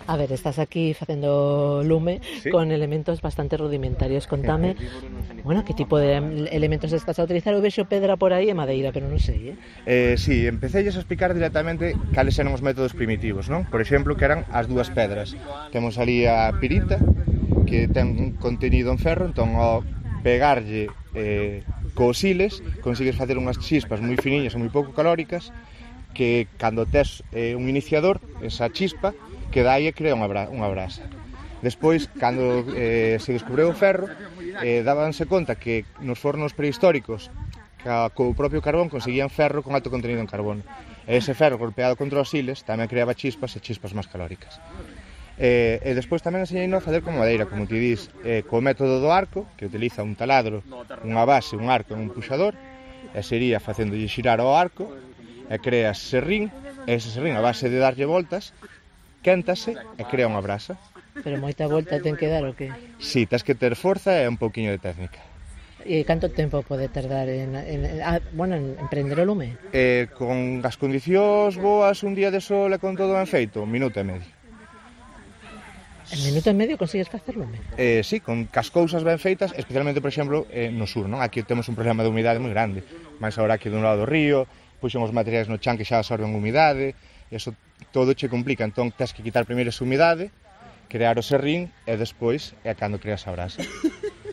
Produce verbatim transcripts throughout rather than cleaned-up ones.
A ver, estás aquí facendo lume Sí. con elementos bastante rudimentarios. Contame, bueno, que tipo de elementos estás a utilizar? Eu vexo pedra por aí e madeira, pero non sei, eh? Eh, sí, empecélles a explicar directamente cales eran os métodos primitivos, non? Por exemplo, que eran as dúas pedras. Temos ali a pirita, que ten un contenido en ferro, entón ao pegarlle eh, cos siles consigues facer unhas chispas moi finiñas e moi pouco calóricas que cando tes eh, un iniciador, esa chispa, que dá aí e crea unha, bra unha brasa. Despois, cando eh, se descubreu o ferro, eh, dábanse conta que nos fornos prehistóricos ca, co propio carbón conseguían ferro con alto contenido en carbono. E ese ferro golpeado contra os siles tamén creaba chispas e chispas máis calóricas. Eh, e despois tamén enseñei a facer con madeira, como ti dis, eh, co método do arco, que utiliza un taladro, unha base, un arco e un puxador, e sería facéndolle xirar ao arco, e creas serrín, e ese serrín, a base de darlle voltas, quéntase e crea unha brasa. Pero moita volta ten que dar o que? Si, tens que ter forza e un pouquiño de técnica. E canto tempo pode tardar en, en, ah, bueno, en, en prender o lume? Eh, con as condicións boas, un día de sol e con todo ben feito, un minuto e medio. En minuto e medio consigues facer lume? Eh, si, con cas cousas ben feitas, especialmente, por exemplo, eh, no sur, non? Aquí temos un problema de humidade moi grande, máis agora aquí dun lado do río, puxen os materiais no chan que xa absorben humidade, eso todo che complica, entón tens que quitar primeiro esa humidade, crear o serrín e despois é cando creas a brasa.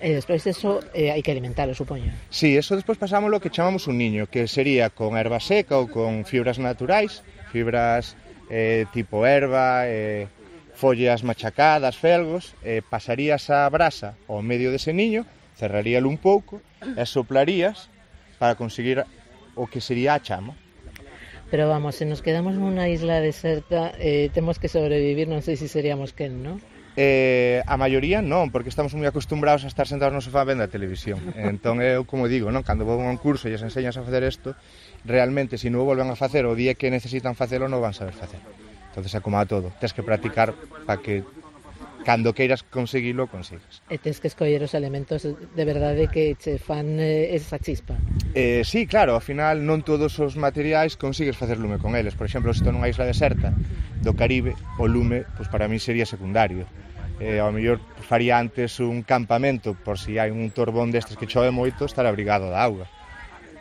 E despois eso eh, hai que alimentalo, supoño. Si, eso despois pasámoslo que chamamos un niño, que sería con erva seca ou con fibras naturais, fibras eh, tipo erva, eh, follas machacadas, felgos, eh, pasarías a brasa ao medio dese niño, cerraríalo un pouco e soplarías para conseguir o que sería a chama. Pero vamos, se nos quedamos nunha isla deserta, eh, temos que sobrevivir, non sei se seríamos quen, non? Eh, a maioría non, porque estamos moi acostumbrados a estar sentados no sofá vendo a televisión. Entón eu, como digo, non, cando vou a un curso e lles enseñas a facer isto, realmente, se non o volven a facer o día que necesitan facelo, non van saber facer. Entonces é como a todo, tens que practicar para que cando queiras conseguilo, consigas. E tens que escoller os elementos de verdade que che fan eh, esa chispa. Eh, sí, claro, ao final non todos os materiais consigues facer lume con eles. Por exemplo, se estou nunha isla deserta do Caribe, o lume, pois para mí sería secundario. Eh, ao mellor faría antes un campamento por si hai un torbón destes que chove moito, estar abrigado da auga.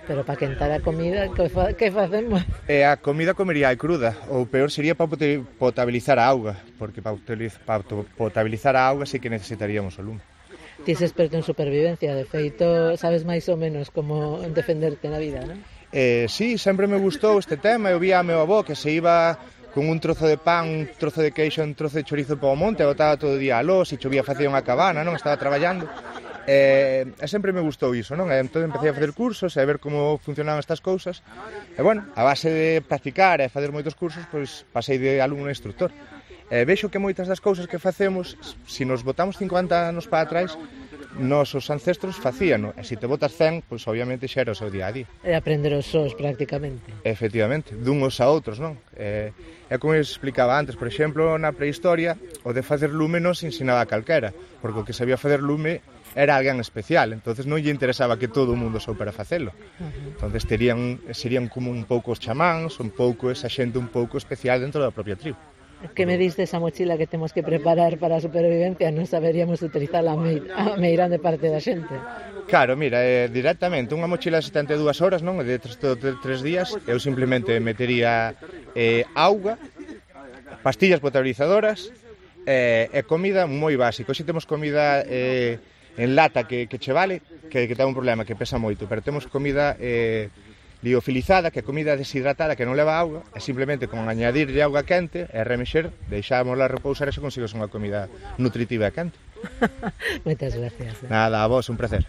Pero para quentar a comida, que, fa, que facemos? E a comida comería cruda, ou peor sería para potabilizar a auga, porque para potabilizar a auga sí que necesitaríamos o lume. Ti és experto en supervivencia, de feito, sabes máis ou menos como defenderte na vida, non? Eh, sí, sempre me gustou este tema, eu vía a meu avó que se iba con un trozo de pan, un trozo de queixo, un trozo de chorizo para o monte, botaba todo o día a lós, e chovía facía unha cabana, non? Estaba traballando. E, e sempre me gustou iso, non? E entón empecé a facer cursos e a ver como funcionaban estas cousas. E bueno, a base de practicar e fazer moitos cursos, pois pasei de alumno a instructor. E vexo que moitas das cousas que facemos, se nos botamos cincuenta anos para atrás, nosos ancestros facíano. E se te botas cen, pois obviamente xa era o seu día a día. E aprender os sós prácticamente. Efectivamente, dunhos a outros, non? E, e como eu explicaba antes, por exemplo, na prehistoria, o de facer lume non se ensinaba a calquera, porque o que sabía facer lume era alguén especial, entonces non lle interesaba que todo o mundo soupera facelo. Uh-huh. Entonces terían, serían como un pouco os chamáns, un pouco esa xente un pouco especial dentro da propia tribu. Que me diste esa mochila que temos que preparar para a supervivencia, non saberíamos utilizar a, me, a meirande parte da xente. Claro, mira, eh, directamente, unha mochila de setenta e dúas horas, non? De tres, tres días, eu simplemente metería eh, auga, pastillas potabilizadoras eh, e comida moi básica. Hoxe temos comida eh, en lata que, que che vale, que, que ten un problema, que pesa moito, pero temos comida eh, liofilizada, que é comida deshidratada que non leva auga, e simplemente con añadirlle auga quente e remexer, deixámosla repousar e se consigues unha comida nutritiva e quente. Moitas gracias. Nada, a vos, un placer.